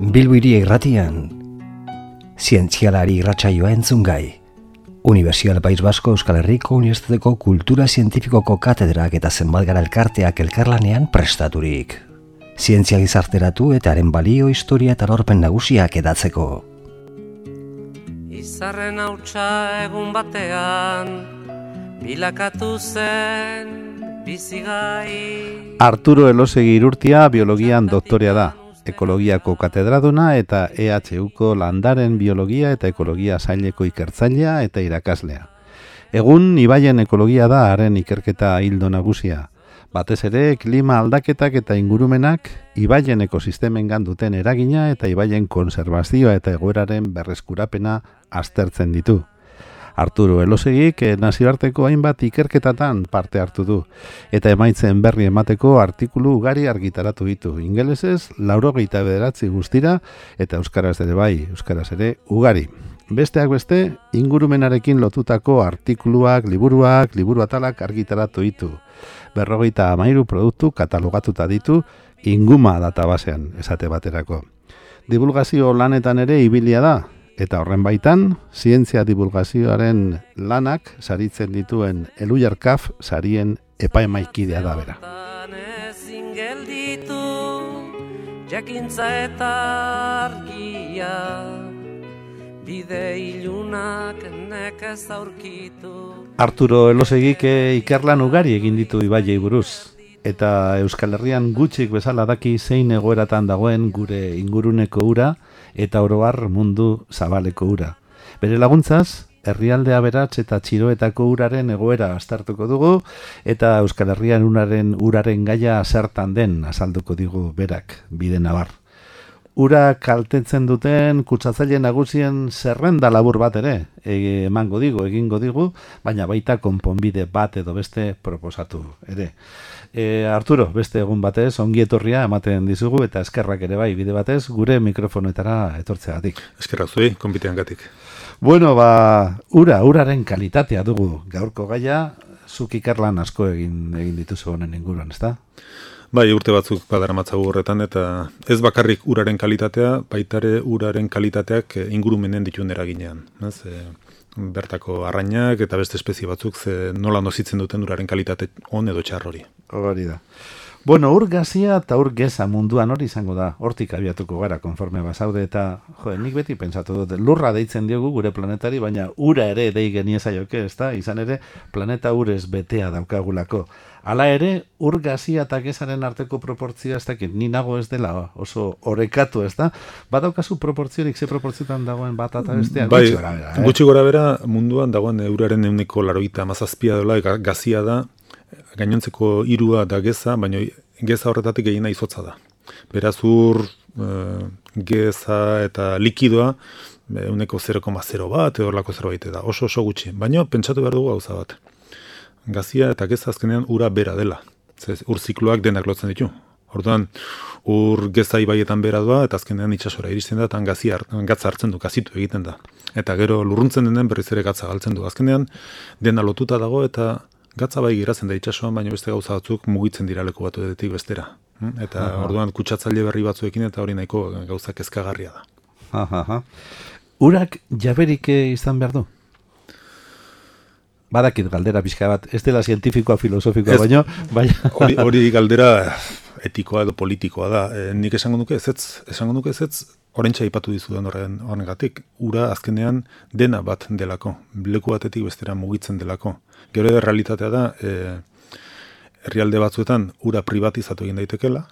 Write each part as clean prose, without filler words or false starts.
Bilbo Hiri Irratian, zientzialari irratsaioa entzungai. Unibertsial País Basko Euskal Herriko Unibertsitateko Kultura Zientifikoko katedrak eta zenbat gara elkarteak elkarlanean prestaturik. Zientzia gizarteratu eta haren balio, historia eta lorpen nagusiak edatzeko. Izarren hautsa egun batean, bilakatu zen bizigai. Arturo Elosegi Irurtia biologian doktorea da. Ekologiako katedraduna eta EHUko landaren biologia eta ekologia saileko ikertzailea eta irakaslea. Egun ibaien ekologia da haren ikerketa hildo nagusia. Batez ere, klima aldaketak eta ingurumenak ibaien ekosistemengan duten eragina eta ibaien konserbazioa eta egoeraren berreskurapena aztertzen ditu. Arturo Elosegik nazioarteko hainbat ikerketatan parte hartu du, eta emaitzen berri emateko artikulu ugari argitaratu ditu. Ingelesez, 89 guztira, eta euskaraz ere bai, euskaraz ere ugari. Besteak beste, ingurumenarekin lotutako artikuluak, liburu atalak argitaratu ditu. 53 produktu katalogatuta ditu Inguma databasean, esate baterako. Divulgazio lanetan ere ibilia da, eta horren baitan, zientzia divulgazioaren lanak saritzen dituen Elujarkaf sarien epaimaikidea da bera. Ezin gelditu, jakintza eta argia, bide ilunak nekez aurkitu. Arturo Elosegik ikerlan ugari egin ditu ibaiei buruz, eta Euskal Herrian gutxik bezala daki zein egoeratan dagoen gure inguruneko ura, eta oroar mundu zabaleko ura. Bere laguntzaz, herrialde aberats eta txiroetako uraren egoera aztertuko dugu, eta Euskal Herrian uraren gaia zertan den azalduko digu berak, bide nabar. Ura kaltetzen duten kutsatzaile nagusien zerrenda labur bat ere, egingo digu, baina baita konponbide bat edo beste proposatu ere. Arturo, beste egun batez, ongi etorria ematen dizugu eta eskerrak ere bai bide batez gure mikrofonoetara etortzeagatik. Eskerrak zuei, konbiteangatik. Bueno, uraren kalitatea dugu gaurko gaia, zuk ikerlan asko egin dituzu honen inguruan, ezta? Bai, urte batzuk badaramatzagu horretan, eta ez bakarrik uraren kalitatea, baitare uraren kalitateak ingurumenen dituen eraginean. Bertako arrainak eta beste espezie batzuk nola nozitzen duten uraren kalitate on edo txar hori. Hori da. Bueno, ur gazia eta ur geza munduan hori izango da, hortik abiatuko gara konforme bazaude eta, nik beti pentsatu dut, lurra deitzen diogu gure planetari, baina ura ere dei geniezaioke, ezta? Izan ere, planeta urez betea daukagulako. Hala ere, ur gazia eta gezaren arteko proportzioa ez dakit, ni nago ez dela oso orekatu, ez da? Badaukazu proportziorik, ze proportzioetan dagoen bat eta bestea? Bai, gutxi gora bera, munduan dagoen uraren 187 dela, gazia da, gainontzeko hirua da geza, baina geza horretatik gehiena izotza da. Beraz ur, geza eta likidoa, 0,0 bat, edo lako zerbait da, oso gutxi. Baina pentsatu behar dugu gauza bat. Gazia eta geza azkenean ura bera dela. Ur zikloak denak lotzen ditu. Orduan, ur geza ibaietan bera doa, eta azkenean itsasora iristen da, eta gatza hartzen du, gazitu egiten da. Eta gero lurruntzen denen berriz ere gatza galtzen du. Azkenean, dena lotuta dago, eta gatza bai giratzen da itsasoan, baina beste gauza batzuk mugitzen dira leku batuetik bestera. Eta orduan kutsatzaile berri batzuekin eta hori nahiko gauza kezkagarria da. Urak jaberik izan behar du? Badakit galdera pixka bat, ez dela zientifikoa, filosofikoa, baina... Hori galdera etikoa edo politikoa da. Nik esango nuke ezetz, orentxa ipatu dizudan horregatik. Ura azkenean dena bat delako, leku batetik bestera mugitzen delako. Gero realitatea da, herrialde batzuetan ura privatizatu egin daitekela,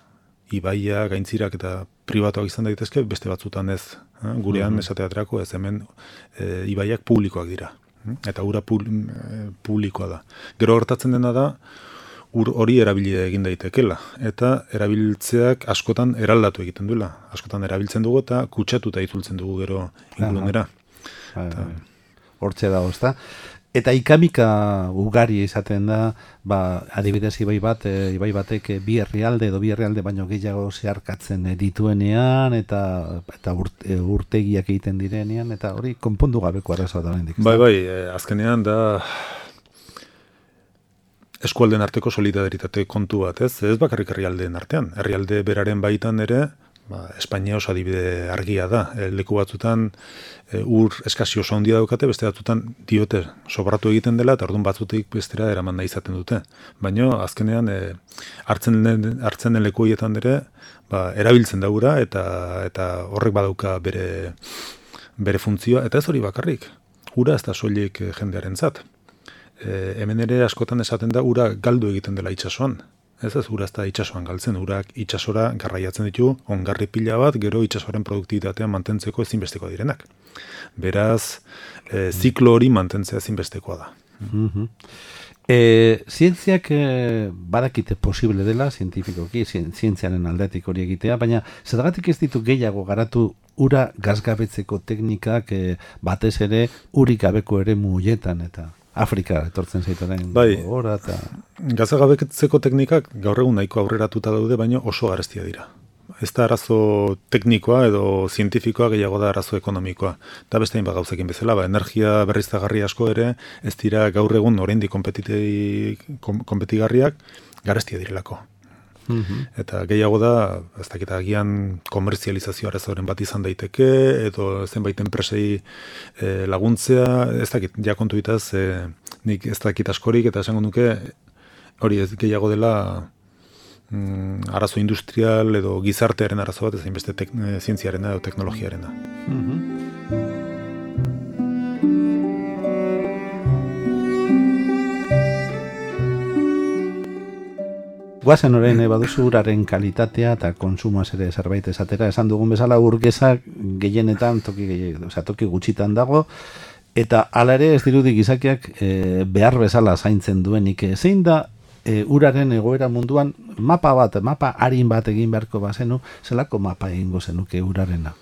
ibaia, gaintzirak eta pribatuak izan daitezke, beste batzutan ez. Gurean esateaterako ez hemen ibaiak publikoak dira. Eta ura publikoa da. Gero gertatzen dena da, ur hori erabili egin daitekela. Eta erabiltzeak askotan eraldatu egiten duela. Askotan erabiltzen dugu eta kutsatuta itzultzen dugu gero ingurunera. Hortxe dago, ezta? Eta ikamika ugari izaten da, adibidez ibai batek bi herrialde baino gehiago zeharkatzen dituenean, eta urtegiak egiten direnean, eta hori konpondu gabeko arazoa da oraindik. Bai, azkenean da eskualden arteko solidaritate kontu bat, ez bakarrik herrialdeen artean. Herrialde beraren baitan ere, Espainia oso adibide argia da. Leku batzutan ur eskasi oso handia daukate, beste batzutan diote sobratu egiten dela, eta orduan batzutik bestera eraman nahi izaten dute. Baina azkenean hartzen den leku horietan ere, erabiltzen da ura, eta horrek badauka bere funtzioa, eta ez hori bakarrik. Ura ez da soilik jendearentzat. Hemen ere askotan esaten da ura galdu egiten dela itsasoan. Ez ura ez da itsasoan galtzen, urak itsasora garraiatzen ditu, ongarri pila bat, gero itsasoaren produktibitatea mantentzeko ezinbesteko direnak. Beraz, ziklo hori mantentzea ezinbestekoa da. Zientziak badakite posible dela, zientifikoki, zientziaren aldetik hori egitea, baina zergatik ez ditu gehiago garatu ura gazgabetzeko teknikak batez ere urik gabeko ere muietan eta Afrika etortzen zaitoren gora eta... Gazagabetzeko teknikak gaur egun nahiko aurreratuta daude, baina oso garestia dira. Ez da arazo teknikoa edo zientifikoa gehiago da arazo ekonomikoa. Eta beste hainbat gauzekin bezala, energia berriztagarri asko ere, ez dira gaur egun oraindik konpetigarriak garestia direlako. Eta gehiago da, ez dakit agian komerzializazio arazoren bat izan daiteke, edo zenbait enpresei laguntzea, ez dakit, ja kontu bitaz, nik ez dakit askorik, eta esango nuke, hori ez gehiago dela arazo industrial edo gizartearen arazo bat, ez beste zientziarena edo teknologiarena. Guazen orain baduzu uraren kalitatea eta konsumoaz ere zerbait esatera, esan dugun bezala urgezak gehienetan toki gutxitan dago, eta hala ere ez dirudi gizakiak behar bezala zaintzen duenik. Zein da uraren egoera munduan mapa harin bat egin beharko bazenu, zelako mapa egingo zenuke urarena?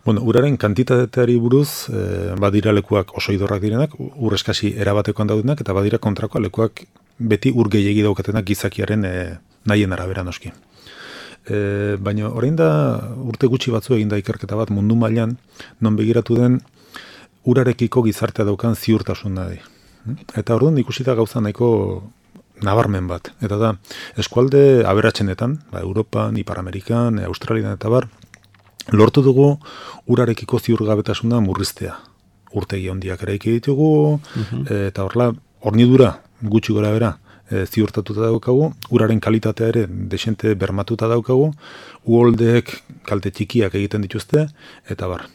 Bueno, uraren kantitateari buruz badira lekuak oso idorrak direnak, ur eskasi erabatekoan daudenak, eta badira kontrakoa lekuak beti ur gehiegi daukatenak gizakiaren nahien arabera noski. Baina orain da urte gutxi batzu egin da ikerketa bat mundu mailan non begiratu den urarekiko gizartea daukan ziurtasun nahi. Eta orduan ikusita gauza nahiko nabarmen bat. Eta da, eskualde aberatsenetan, Europan, Ipar Amerikan, Australian eta bar, lortu dugu urarekiko ziurgabetasuna murriztea. Urtegi handiak eraiki ditugu, eta hornidura gutxi gora bera ziurtatuta daukagu, uraren kalitatea ere desente bermatuta daukagu, uholdeek kalte txikiak egiten dituzte, eta bar.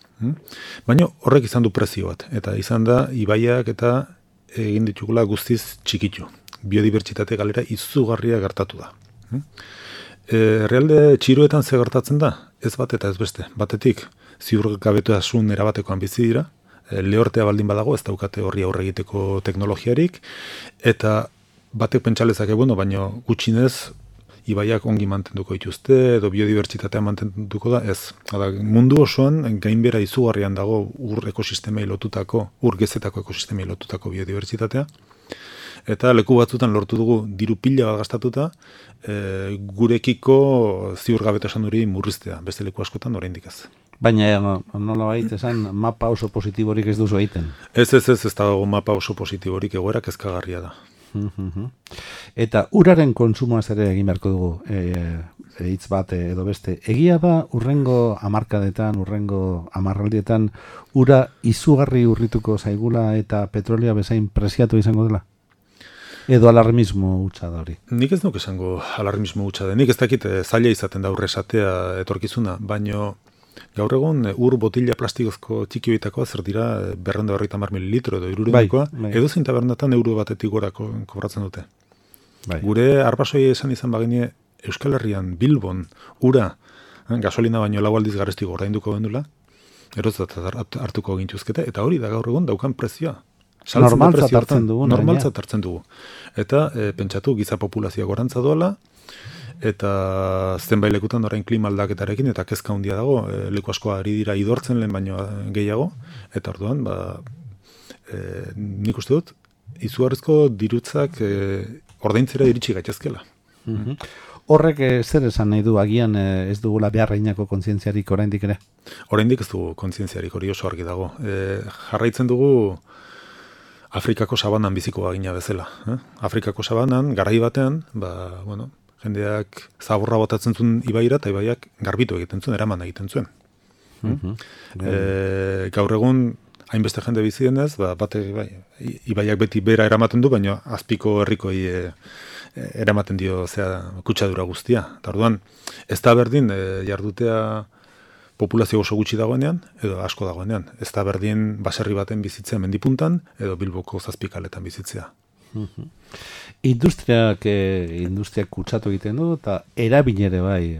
Baina horrek izan du prezio bat, eta izan da ibaiak eta egin ditugula guztiz txikitu. Biodibertsitate galera izugarria gertatu da. Realde txiroetan ze gertatzen da? Ez bat eta ez beste. Batetik, ziurgabetasun erabatekoan bizi dira, lehortea baldin badago, ez daukate horri aurre egiteko teknologiarik, eta batek pentsalezake, baina gutxinez ibaiak ongi mantenduko dituzte, edo biodibertsitatea mantenduko da, ez. Mundu osoan gainbera izugarrian dago ur ekosistemei lotutako, ur gezetako ekosistemei lotutako biodibertsitatea, eta leku batzutan lortu dugu diru pila bat gastatuta, gurekiko ziurgabetasun hori murriztea, beste leku askotan oraindik ez. Baina nola baita esan mapa oso positiborik ez duzu egiten? Ez dago mapa oso positiborik, egoera kezkagarria da. Eta uraren konsumoaz ere egin beharko dugu hitz bat edo beste. Egia da urrengo hamarkadetan, urrengo hamarraldietan ura izugarri urrituko zaigula eta petrolea bezain preziatu izango dela? Edo alarmismo hutsa da hori? Nik ez nuke esango alarmismo hutsa da. Nik ez dakit zaila izaten da urresatea etorkizuna, baino gaur egun ur botila plastikozko txiki horietakoa zer dira 250 mililitro edo 300 edo zein tabernatan euro batetik gora kobratzen dute. Gure arbasoi esan izan bagine Euskal Herrian Bilbon ura gasolina baino 4 aldiz garestigo ordainduko gendula, erotzat hartuko gintuzkete, eta hori da gaur egun daukan prezioa. Normaltzat hartzen dugu. Eta pentsatu giza populazioa gorantza doala, eta zenbait lekutan orain klima aldaketarekin eta kezka handia dago, leku asko ari dira idortzen lehen baino gehiago, eta orduan nik uste dut izugarrizko dirutzak ordaintzera iritsi gaitezkela. Horrek zer esan nahi du agian ez dugula beharreinako kontzientziarik oraindik ere? Oraindik ez dugu kontzientziarik, hori oso argi dago. Jarraitzen dugu Afrikako sabanan biziko bagina bezala. Afrikako sabanan, garai batean, Jendeak zaborra botatzen zuen ibaira, eta ibaiak garbitu egiten zuen, eraman egiten zuen. Gaur egun, hainbeste jende bizi denez, ibaiak beti bera eramaten du, baina azpiko herrikoi eramaten dio kutsadura guztia. Eta orduan, ez da berdin jardutea populazio oso gutxi dagoenean, edo asko dagoenean. Ez da berdin baserri baten bizitzea mendipuntan, edo Bilboko zazpikaletan bizitzea. Industriak kutsatu egiten du, eta erabilere bai,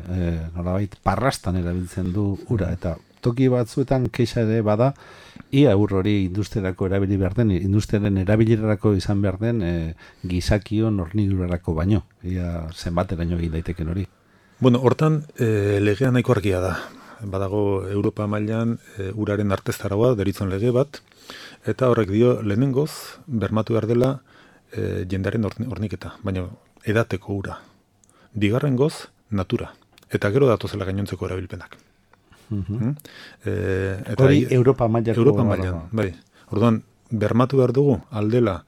nolabait parrastan erabiltzen du ura, eta toki batzuetan kexa ere bada, ia hori industriarako erabili behar den, industriaren erabilirarako izan behar den gizakion hornidurarako baino, ia zenbateraino egin daiteken hori. Bueno, hortan legea nahiko argia da. Badago Europa mailan uraren arteztaragoa deritzen lege bat, eta horrek dio lehenengoz bermatu behar dela jendaren horniketa, baina edateko ura. Bigarrengoz, natura. Eta gero datozela gainontzeko erabilpenak. Hori Europa mailan. Bai. Orduan, bermatu behar dugu aldela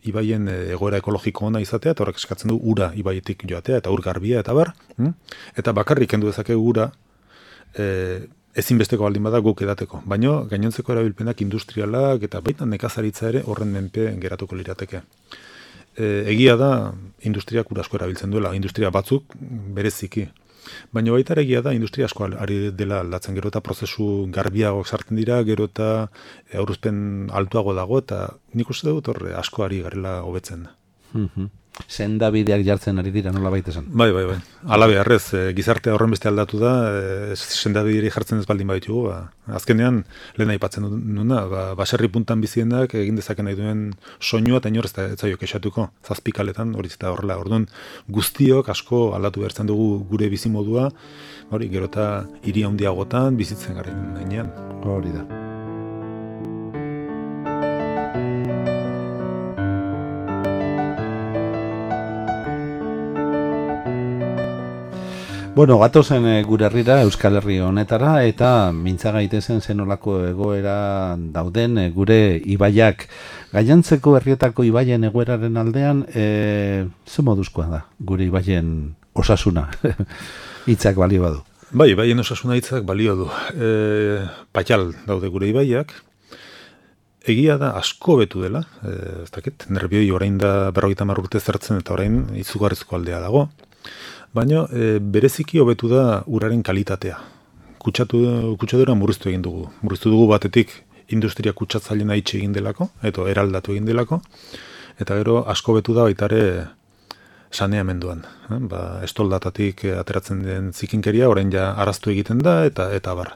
ibaien egoera ekologiko ona izatea, eta horrek eskatzen du ura ibaietik joatea, eta ur garbia, eta bar. Eta bakarrik kendu dezakegu ura ezinbesteko baldin bada guk edateko. Baina gainontzeko erabilpenak industrialak eta baita nekazaritza ere horren menpe geratuko lirateke. Egia da industriak ura asko erabiltzen duela, industria batzuk bereziki. Baina baita egia da industria asko ari dela aldatzen, gero eta prozesu garbiagoak sartzen dira, gero eta aurrezpen altuago dago, eta nik uste dut horre asko ari garela hobetzen. Sendabideak jartzen ari dira, nola baita esan? Bai. Ala beharrez, gizartea horren beste aldatu da, sendabideri jartzen ez baldin baditugu. Azkenean, lehen aipatzen nuna, baserri puntan bizienak egin dezaken nahi duen soinua, eta inor ez zaio kexatuko, zazpikaletan, hori zeta horrela. Orduan, guztiok asko aldatu behartzen dugu gure bizimodua, hori, gero eta hiri handiagotan bizitzen garen gainean. Hori da. Bueno, gatozen gure herrira, Euskal Herri honetara, eta mintza gaitezen zenolako egoera dauden gure ibaiak. Gainontzeko herrietako ibaien egoeraren aldean, ze moduzkoa da, gure ibaien osasuna, hitzak balio badu? Bai, ibaien osasuna hitzak balio du. Patxal daude gure ibaiak, egia da asko betu dela, ez dakit, nerbioi orain da 50 urte zertzen, eta orain izugarrizko aldea dago. Baina bereziki hobetu da uraren kalitatea. Kutsadura murriztu egin dugu. Murriztu dugu batetik industria kutsatzaileena itxi egin delako, edo eraldatu egin delako, eta gero asko betu da baitare saneamenduan. Estoldatatik ateratzen den zikinkeria, orain ja araztu egiten da, eta bar.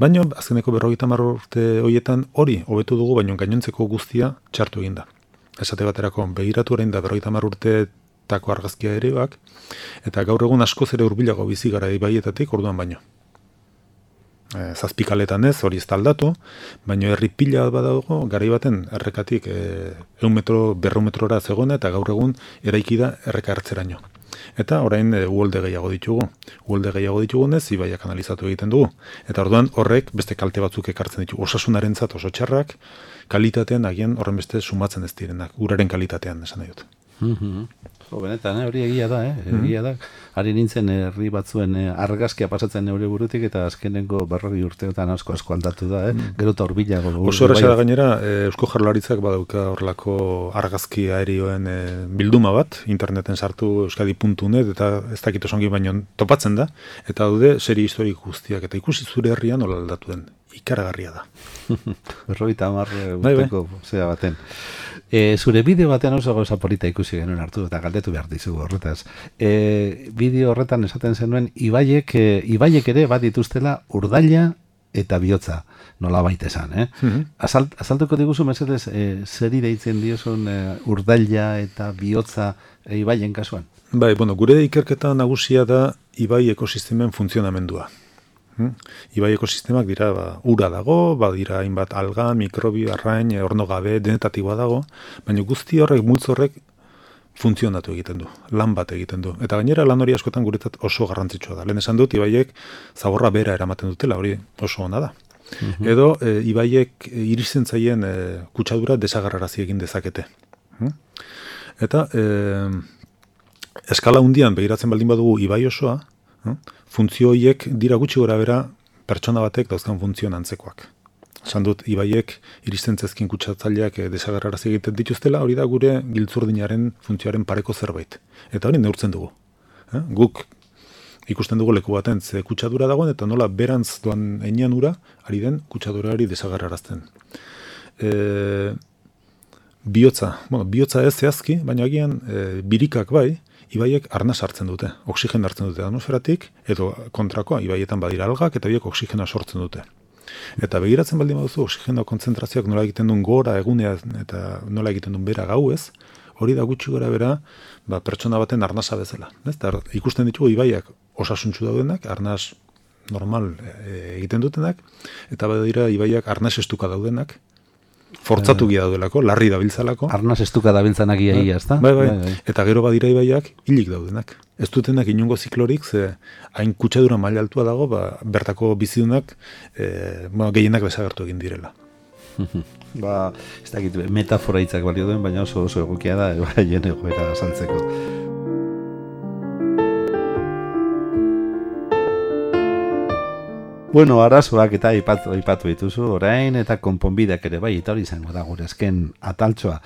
Baina azkeneko 50 urte horietan hori hobetu dugu, baina gainontzeko guztia txartu egin da. Esate baterako, begiratu orain da 50 urte tako argazkia ereak, eta gaur egun askoz ere hurbilago bizi gara ibaietatik orduan baino. Zazpikaletan ez, hori ez da aldatu, baino herri pila badago, garai baten errekatik 100 metro, 200 metrora zegoena, eta gaur egun eraiki da erreka hartzeraino. Eta orain uholde gehiago ditugu. Uholde gehiago ditugunez, ibaiak analizatu egiten dugu. Eta orduan horrek beste kalte batzuk ekartzen ditugu. Osasunarentzat oso txarrak, kalitatean agian horren beste sumatzen ez direnak, uraren kalitatean esan nahi dut. Benetan, hori egia da, egia da. Ari nintzen herri batzuen argazkia pasatzen neure burutik, eta azkenengo 40 urteotan asko aldatu da, gero eta horbilago. Oso erraza da gainera, Eusko Jaurlaritzak badauka horrelako argazki aerioen bilduma bat, interneten sartu euskadi.net, eta ez dakit osongi baino topatzen da, eta daude serie historik guztiak, eta ikusi zure herrian nola aldatu den. Ikaragarria da. 50 urteko zera baten. Zure bideo batean oso gauza polita ikusi genuen hartu, eta galdetu behar dizugu horretaz. Bideo horretan esaten zenuen, ibaiek ere bat dituztela urdaila eta bihotza, nola baita esan. Azaltuko diguzu, mesedez, zeri deitzen diozun urdaila eta bihotza ibaien kasuan? Bai, gure ikerketa nagusia da ibai ekosistemen funtzionamendua. Ibai ekosistemak dira, ura dago, badira hainbat alga, mikrobio, arrain, ornogabe, denetatik badago, baina guzti horrek, multzo horrek funtzionatu egiten du, lan bat egiten du. Eta gainera lan hori askotan guretzat oso garrantzitsua da. Lehen esan dut, ibaiek zaborra bera eramaten dutela, hori oso ona da. Edo, ibaiek iristen zaien kutsadura desagarrarazi egin dezakete. Eta eskala hundian begiratzen baldin badugu ibai osoa, funtzio horiek dira gutxi gora bera pertsona batek dauzkan funtzioan antzekoak. Esan dut, ibaiek iristen zezkin kutsatzaileak desagerrarazi egiten dituztela, hori da gure giltzurdinaren funtzioaren pareko zerbait. Eta hori neurtzen dugu. Guk ikusten dugu leku baten ze kutsadura dagoen, eta nola berantz doan enean ura, ari den kutsadurari desagerrarazten. Bihotza ez zehazki, baina agian birikak bai, ibaiek arnas hartzen dute, oxigen hartzen dute atmosferatik, edo kontrakoa, ibaietan badira algak, eta biek oxigena sortzen dute. Eta begiratzen baldin baduzu, oxigeno kontzentrazioak nola egiten duen gora egunea, eta nola egiten duen bera gauez, hori da gutxi gora bera, pertsona baten arnasa bezala. Ikusten ditugu ibaiak osasuntsu daudenak, arnas normal egiten dutenak, eta badira ibaiak arnas estuka daudenak, fortzatu gira daudelako, larri dabiltzalako. Arnaz estuka dabiltzanak ia, ezta? Bai. Eta gero badira ibaiak hilik daudenak. Ez dutenak inongo ziklorik, ze hain kutsadura maila altua dago, bertako bizidunak gehienak desagertu egin direla. Ez dakit, metafora hitzak balio duen, baina oso egokia da, haien egoera azaltzeko. Bueno, arazoak eta aipatu dituzu orain, eta konponbideak ere bai, eta hori izango da gure azken ataltxoa.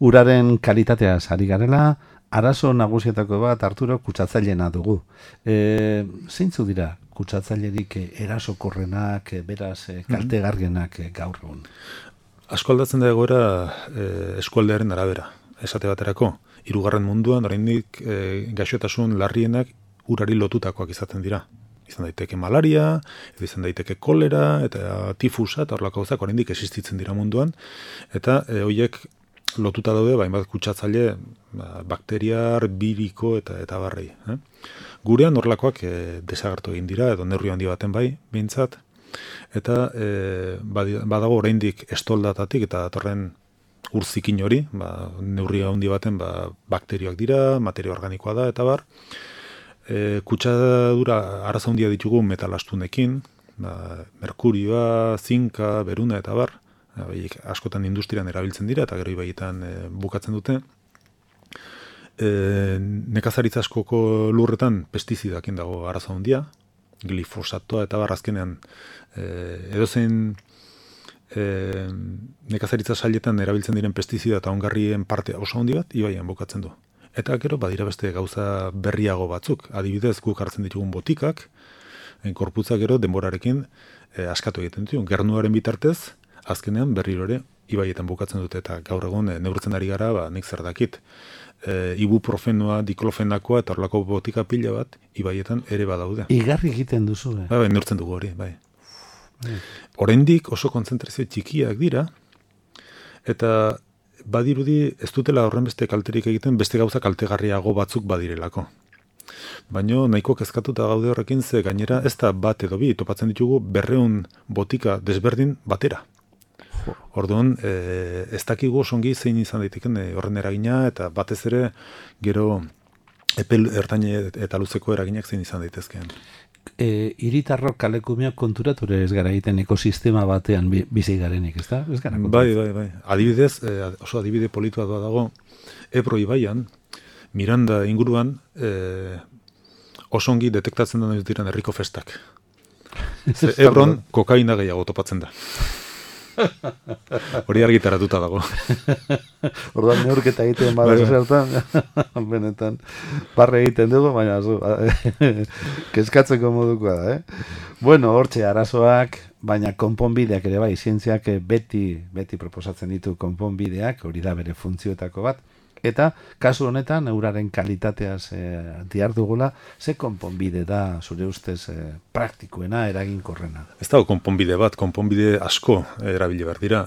Uraren kalitateaz ari garela, arazo nagusietako bat Arturo kutsatzaileena dugu. Zeintzu dira kutsatzailerik erasokorrenak, beraz kaltegarrienak gaur egun? Asko aldatzen da egoera eskualdearen arabera. Esate baterako, 3. munduan, oraindik gaixotasun larrienak urari lotutakoak izaten dira. Izan daiteke malaria, izan daiteke kolera, eta tifusa, eta horlako gauzak oraindik existitzen dira munduan, eta horiek lotuta daude, hainbat kutsatzaile, bakteriar, biriko, eta barrei. Gurean horlakoak desagertu egin dira, edo neurri handi baten bai, behintzat, eta badago oraindik estoldatatik, eta datorren urzikin hori, neurri handi baten bakterioak dira, materia organikoa da, eta bar, kutsadura arazo handia ditugu metalastunekin, merkurioa, zinka, beruna eta bar, askotan industrian erabiltzen dira eta gero ibaietan bukatzen dute. Nekazaritza askoko lurretan pestizidakin dago arazo handia, glifosatoa eta bar azkenean edozein nekazaritza sailetan erabiltzen diren pestizida eta ongarrien parte oso handi bat ibaian bukatzen du. Eta gero badira beste gauza berriago batzuk. Adibidez, guk hartzen ditugun botikak, korputza gero denborarekin askatu egiten ditu. Gernuaren bitartez, azkenean berriro ere ibaietan bukatzen dute eta gaur egun neurtzen ari gara, nik zer dakit, ibuprofenoa, diklofenakoa eta horlako botika pila bat ibaietan ere badaude. Igarri egiten duzu, Bai, neurtzen dugu hori, bai. Oraindik oso kontzentrazio txikiak dira, eta badirudi ez dutela horren beste kalterik egiten, beste gauza kaltegarriago batzuk badirelako. Baina nahiko kezkatuta gaude horrekin, ze gainera ez da bat edo bi, topatzen ditugu 200 botika desberdin batera. Orduan, ez dakigu osongi zein izan daiteken horren eragina, eta batez ere gero epel ertaine eta luzeko eraginak zein izan daitezkeen. Hiritarrok kalekumeak konturature ez gara egiten ekosistema batean bizi garenik, ez da? Bai. Adibidez, oso adibide politua dago, Ebro ibaian, Miranda inguruan, osongi detektatzen da diren herriko festak. Ebron kokaina gehiago topatzen da. Hori argitaratuta dago. Orduan neurketa egiten bada zertan, benetan barre egiten dugu, baina kezkatzeko modukoa da, Bueno, hortxe arazoak, baina konponbideak ere bai, zientziak beti proposatzen ditu konponbideak, hori da bere funtzioetako bat, eta kasu honetan euraren kalitateaz dihardugula, ze konponbide da zure ustez praktikoena, eraginkorrena? Ez dago konponbide bat, konponbide asko erabili behar dira.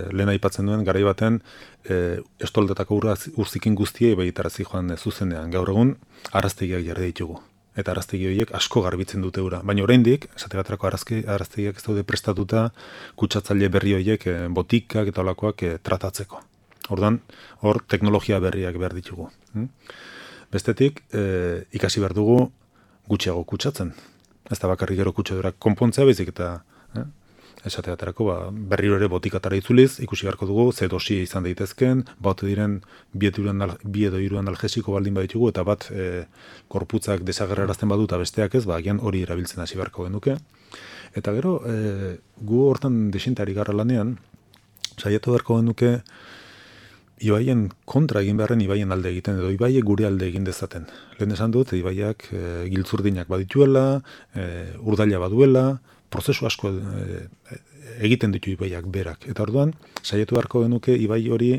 Lehen aipatzen duen, garai baten estoldetako urzikin guztiei baitarazi joan zuzenean. Gaur egun, araztegiak jarri ditugu. Eta araztegi horiek asko garbitzen dute ura. Baina oraindik, esate baterako araztegiak ez daude prestatuta kutsatzaile berri horiek botikak eta olakoak tratatzeko. Orduan, hor teknologia berriak behar ditugu. Bestetik, ikasi behar dugu gutxiago kutsatzen. Ez da bakarrik gero kutsadurak konpontzea, baizik eta esate baterako, berriro ere botikatara itzuliz, ikusi beharko dugu, ze dosi izan daitezken, bat diren bi edo hiru analgesiko baldin baditugu, eta bat korputzak desagerrarazten badu eta besteak ez, agian hori erabiltzen hasi beharko genuke. Eta gero, gu hortan desintari garra lanean, saiatu beharko genuke, ibaien kontra egin beharren ibaien alde egiten, edo ibaiek gure alde egin dezaten. Lehen esan dut, ibaiak giltzurdinak badituela, urdaila baduela, prozesu asko egiten ditu ibaiak berak. Eta orduan, saiatu beharko genuke ibai hori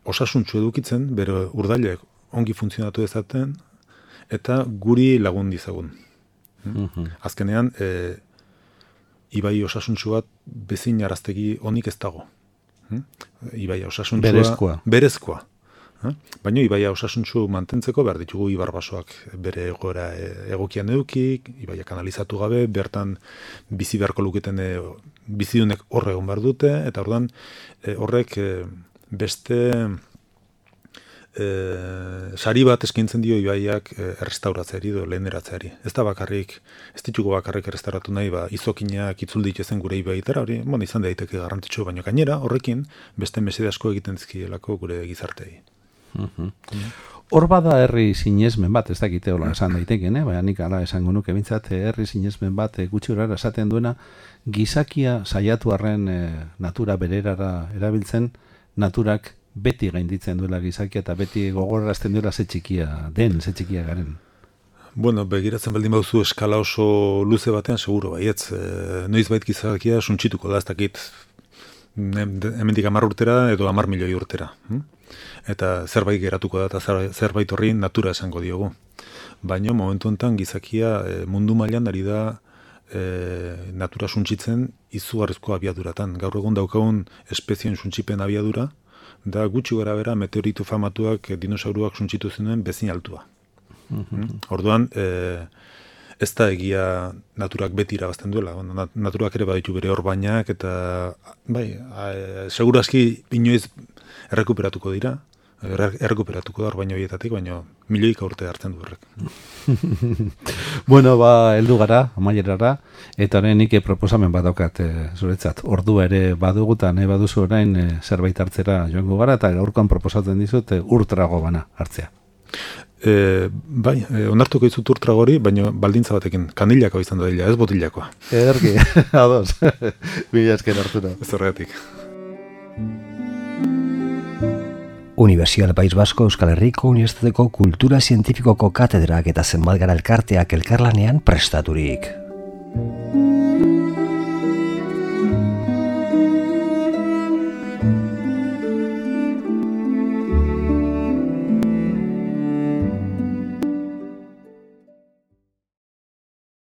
osasuntsu edukitzen, bere urdailek ongi funtzionatu dezaten, eta guri lagun dizagun. Azkenean, ibai osasuntsu bat bezin araztegi onik ez dago. Ibaia osasuntsua berezkoa. Baina ibaia osasuntsu mantentzeko behar ditugu ibarbasoak bere egoera egokian eduki, ibaia kanalizatu gabe, bertan bizi beharko luketen bizidunek horre egon behar dute, eta orduan horrek beste sari bat eskaintzen dio ibaiak errestauratzeari edo leheneratzeari. Ez ditugu bakarrik errestauratu nahi, izokinak itzul dituzen gure ibaitara, hori izan daiteke garrantzitsu, baina gainera horrekin beste mesede asko egiten dizkielako gure gizartei. Hor bada herri sinesmen bat, ez dakite hola esan daiteken, baina nik ala esango nuke bintzat herri sinesmen bat gutxi horara esaten duena, gizakia saiatu arren natura bererara erabiltzen, naturak beti gainditzen duela gizakia eta beti gogorrazten duela ze txikia garen. Bueno, begiratzen baldin bauzu eskala oso luze batean, seguro baietz. Noizbait gizakia suntsituko da, ez dakit hemendik 10 urtera edo 10 milioi urtera. Eta zerbait geratuko da, eta zerbait horri natura esango diogu. Baina momentu honetan gizakia mundu mailan ari da natura suntsitzen izugarrizko abiaduratan. Gaur egun daukagun espezien suntsipen abiadura, da gutxi gara bera meteoritu famatuak dinosauruak suntsitu zenuen bezin altua. Orduan, ez da egia naturak beti irabazten duela. Naturak ere baditu bere horbainak eta segurazki inoiz errekuperatuko dira. Errekuperatuko da horbaino horietatik, baina milioika urte hartzen du horrek. Bueno, heldu gara, amaierara, eta orain nik proposamen badaukat zuretzat. Ordua ere badugu eta nahi baduzu orain zerbait hartzera joango gara, eta gaurkoan proposatzen dizut urtrago bana hartzea. Onartuko izut urtragori, baina baldintza batekin, kanilako izan da dila, ez botilakoa. Ederki, ados. Mila esker Arturo. Ez horregatik. Universidad País Vasco Euskal Herriko Unibertsitateko Kultura Zientifikoko katedrak eta zenbat gara elkarteak elkarlanean prestaturik.